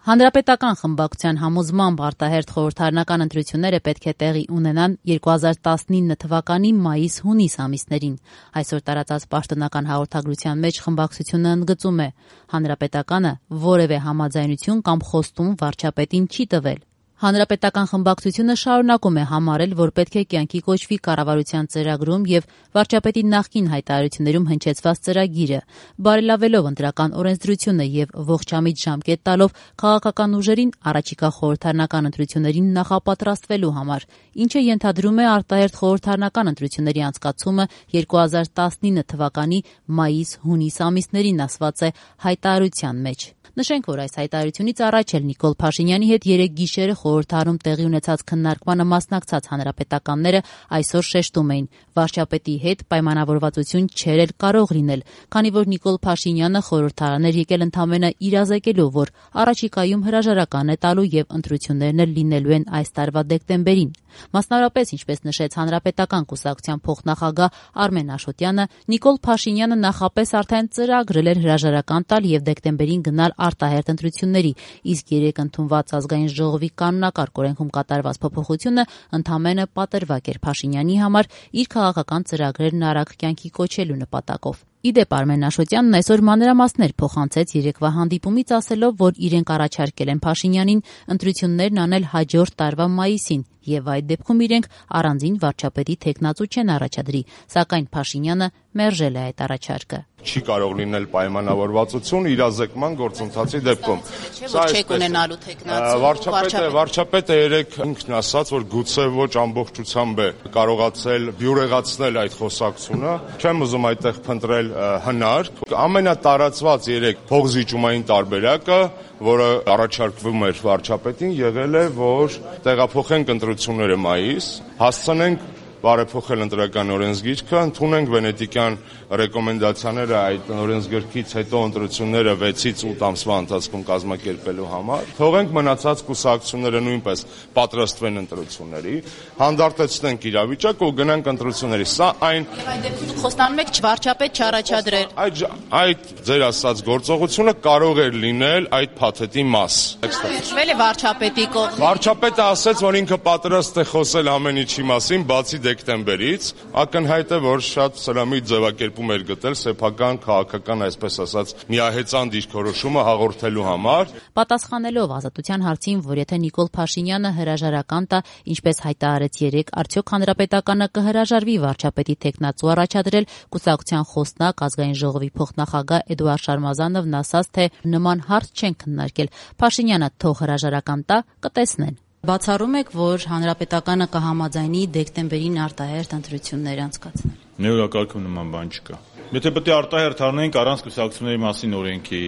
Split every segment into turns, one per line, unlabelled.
Հանրապետական խմբակցության համոզմամբ արտահերթ խորհրդարանական ընտրությունները պետք է տեղի ունենան 2019 թվականի մայիս-հունիս ամիսներին։ Այսօր տարածած պաշտոնական հաղորդագրության մեջ խմբակցությունը ընդգծում է. Հանրապետականը որևէ համաձայնություն կամ խոստում վարչապետին չի տվել։ Հանրապետական խմբակցությունը շարունակում է համարել, որ պետք է կյանքի կոչվի կառավարության ծրագրում եւ վարչապետի նախկին հայտարարություններում հնչեցված ծրագիրը, բարելավելով ընտրական օրենսդրությունը եւ ողջամիտ ժամկետ տալով քաղաքական ուժերին առաջիկա խորհրդարանական ընտրություններին նախապատրաստվելու համար, ինչը ենթադրում է արտահերթ խորհրդարանական ընտրությունների անցկացումը 2019 թվականի մայիս-հունիս ամիսներին, ասված է հայտարարության մեջ։ Նշենք, որ այս հայտարարությունից առաջ էլ Նիկոլ Փաշինյանի հետ երեկ գիշերը խորհրդարանում տեղի ունեցած քննարկմանը մասնակցած հանրապետականները այսօր շեշտում էին, վարչապետի հետ պայմանավորվածություն չէր էլ կարող լինել, քանի որ Նիկոլ Փաշինյանը խորհրդարան էր եկել ընդամենը իրազեկելու, որ առաջիկայում հրաժարական է տալու եւ ընտրություններն էլ լինելու են այս տարվա դեկտեմբերին։ Մասնավորապես, ինչպես նշեց Հանրապետական կուսակցության փոխնախագահ Արմեն Աշոտյանը, Նիկոլ Փաշինյանը նախապես արդեն ծրագրել էր հրաժարական տալ եւ դեկտեմբերին գնալ արտահերթ ընտրությունների, իսկ երեք ընդունված ազգային ժողովի կանոնակարգ օրենքում կատարված փոփոխությունը ընդամենը պատրվակ էր Փաշինյանի համար իր քաղաքական ծրագրերն արագ կյանքի կոչելու նպատակով։ Իդեպ Արմեն Աշոտյանն այսօր մանրամասներ փոխանցեց երեկվա հանդիպումից, ասելով, որ իրենք առաջարկել են Փաշինյանին ընտրություններն անել հաջորդ տարվա մայիսին եւ այդ դեպքում իրենք առանձին վարչապետի թեկնածու չեն առաջադրի, սակայն Փաշինյանը մերժել է այդ առաջարկը։
Չի կարող լինել պայմանավորվածություն իրազեկման գործընթացի դեպքում։
Սա չեք ունենալու թեկնածու
վարչապետը երեք ինքն ասաց, որ գուցե ոչ ամբողջությամբ է կարողացել բյուրեղացնել այդ խոսակցությունը։ Չեմ ուզում այդտեղ փնտրել հնարք։ Ամենատարածված երեք փողզիջումային տարբերակը, որը առաջարկվում էր վարչապետին, եղել է, որ տեղափոխենք ընտրությունները մայիս, հասցնենք բարեփոխել ընտրական օրենսգիրքը, ընդունենք վենետիկյան ռեկոմենդացիաները այդ օրենսգրքից հետո ընտրությունները 6-ից 8 ամսվա ընթացքում կազմակերպելու համար, թողենք մնացած կուսակցությունները նույնպես պատրաստվեն ընտրությունների, հանդարտեցնենք իրավիճակը ու գնանք ընտրությունների։ Սա այն
Եվ այդ դեպքում խոստանում եք վարչապետ չառաջադրել։
Այդ ձեր ասած գործողությունը կարող էր լինել այդ փաթեթի մաս։
Մերժվել է վարչապետի կողմից։
Վարչապետը ասաց, որ ինքը պատրաստ է խոսել ամեն ինչի մասին, բացի դեկտեմբերից, ակնհայտ է, որ շատ սրամիտ ձևակերպում էր գտել սեփական քաղաքական, այսպես ասած, միահեծան դիրքորոշումը հաղորդելու համար։
Պատասխանելով Ազատության հարցին, որ եթե Նիկոլ Փաշինյանը հրաժարական տա, ինչպես հայտարարեց երեկ, արդյոք Հանրապետականը կհրաժարվի վարչապետի թեկնածու առաջադրել, կուսակցության խոսնակ ազգային ժողովի փոխնախագահ Էդուարդ Շարմազանովն ասաց, թե նման հարց չեն քննարկել։ Փաշինյանը թող հրաժարական տա, կտեսնեն։ Բացառում եք, որ Հանրապետականը կհամաձայնի դեկտեմբերին արտահերթ ընտրություններ անցկացնել։
Մեր օրակարգում նման բան չկա։ Եթե պետք է արտահերթ անենք առանց կուսակցությունների մասին օրենքի,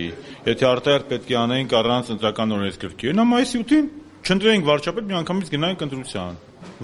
եթե արտահերթ պետք է անենք առանց ընտրական օրենսգրքի, նա մայիսի 8-ին չընտրենք վարչապետ, միանգամից գնանք ընտրության։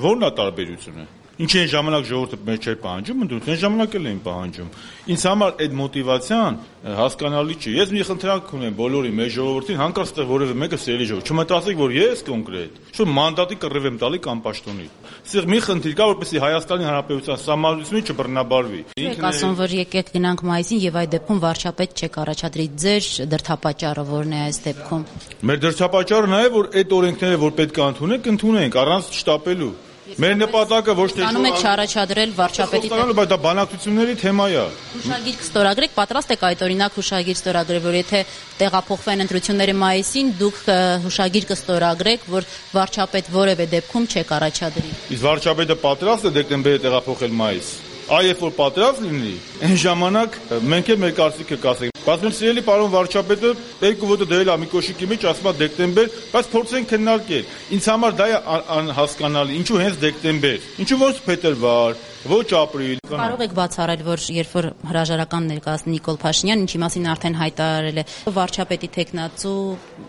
Որն է տարբերությունը։ Ինչ այն ժամանակ ժողովուրդը մեր չէր պահանջում, ընդդեմ ժամանակ էլ էին պահանջում։ Ինձ համար այդ մոտիվացիան հասկանալի չէ։ Ես մի խնդրանք ունեմ բոլորի մեր ժողովրդին, հանկարծ այդտեղ որևէ մեկը սիրելի ժողովուրդ, չմտածեք, որ ես կոնկրետ, շո մանդատի կռիվ եմ տալի կամ պաշտոնի։ Սեղ մի խնդիր կա, որպեսզի Հայաստանի Հանրապետության սահմանությունը չբռնաբարվի։
Եք ասում, որ եկեք գնանք մայիսին եւ այդ դեպքում վարչապետ չեք առաջադրի, ձեր դրդապատճառը որն է այս դեպքում։
Մեր դրդապատճառը նա է, որ այդ օրենքները, որ պետք է ընդունենք առանց շտապելու։ Մեր նպատակը ոչ թե
Ստանում եք չառաջադրել վարչապետի
բայց դա բանակցությունների թեմա է։
Հուշագիր կստորագրեք, պատրաստ եք այդ օրինակ հուշագիր ստորագրել, որ եթե տեղափոխվեն ընտրությունները մայիսին, դուք հուշագիր կստորագրեք, որ վարչապետ որևէ դեպքում չեք առաջադրի։
Իսկ վարչապետը պատրաստ է դեկտեմբերի տեղափոխել մայիս։ Երբ որ պատրաստ լինի, այն ժամանակ մենք էլ մեր կարծիքը կասենք։ Բայց մեր սիրելի պարոն վարչապետը երկու ոտը դրել է մի կոշիկի մեջ, ասում է դեկտեմբեր, բայց փորձենք քննարկել։ Ինձ համար դա է անհասկանալի, ինչու հենց դեկտեմբեր։ Ինչու ոչ փետրվար, ոչ ապրիլ։
Կարող եք բացառել, որ երբ որ հրաժարական ներկայացնի Նիկոլ Փաշինյան, ինչի մասին արդեն հայտարարել է, վարչապետի թեկնածու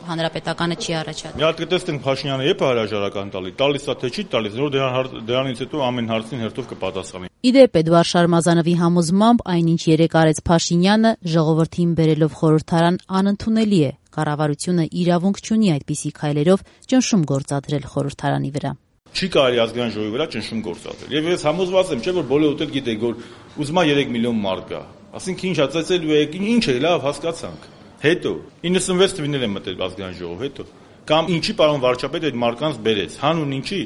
Հանրապետականը չի առաջադրել։
Մի հատ կտեսնենք Փաշինյանը երբ է հրաժարական տալիս է թե չի տալիս, որ դրանից հետո ամեն հարցին հերթով կպատասխանի։
Իդեպ Էդուարդ Շարմազանովի համոզմամբ այնինչ երեկ արեց Փաշինյանը ժողովրդին բերելով խորհրդարան անընդունելի է։ Կառավարությունը իրավունք չունի այդպիսի քայլերով ճնշում գործադրել խորհրդարանի վրա։
Չի կարելի ազգային ժողովի վրա ճնշում գործադրել։ Եվ ես համոզված եմ, չէ՞ որ բոլորդ էլ գիտեք, որ ուզում է 3 միլիոն մարդ գա։ Ասենք ինչ ածեցելու եք, ինչ է, լավ, հասկացանք։ Հետո 96 թվականին եմ մտել ազգային ժողով, հետո կամ ինչի պարոն վարչապետը այդ մարկանց բերեց, հանուն ինչի։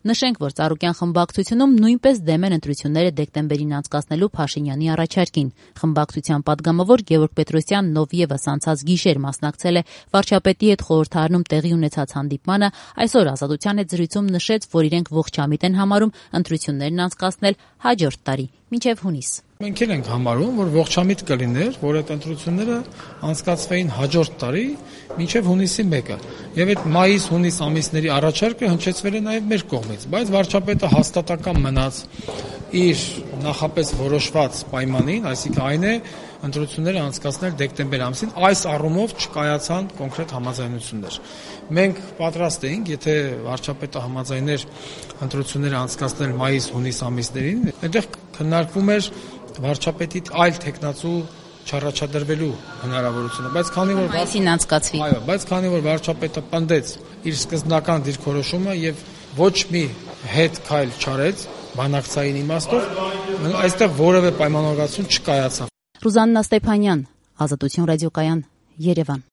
Նշենք, որ Ծառուկյան խմբակցությունում նույնպես դեմ են ընտրությունները դեկտեմբերին անցկացնելու Փաշինյանի առաջարկին։ Խմբակցության падգամավոր Գևորգ Պետրոսյանն, ով ևս անցած գիշեր մասնակցել է վարչապետի հետ խորհրդարանում տեղի ունեցած հանդիպմանը, այսօր Ազատության հետ զրույցում նշեց, որ իրենք ողջամիտ են համարում ընտրություններն անցկացնել հաջորդ տարի, մինչև հունիս։
Մենք էլ ենք համարում, որ ողջամիտ կլիներ, որ այդ ընտրությունները անցկացվեին հաջորդ տարի մինչև հունիսի 1-ը։ Եվ այդ մայիս-հունիս ամիսների առաջարկը հնչեցվել է նաև մեր կողմից, բայց վարչապետը հաստատական մնաց իր նախապես որոշված պայմանին, այսինքն այն է ընտրությունները անցկացնել դեկտեմբեր ամսին, այս առումով չկայացան կոնկրետ համաձայնություններ։ Մենք պատրաստ էինք, եթե վարչապետը համաձայներ ընտրությունները անցկացնել մայիս-հունիս ամիսներին, այնտեղ քննարկվում էր վարչապետի այլ տեխնացու չառաջադրվելու հնարավորությունը, բայց քանի որ
մայիսին անցկացվի։
Այո, բայց քանի որ վարչապետը պնդեց իր սկզբնական դիրքորոշումը եւ ոչ մի հետ քայլ չարեց բանակցային իմաստով, այստեղ որևէ պայմանավորվածություն չկայացավ։
Ռուզաննա Ստեփանյան, Ազատություն ռադիոկայան, Երևան։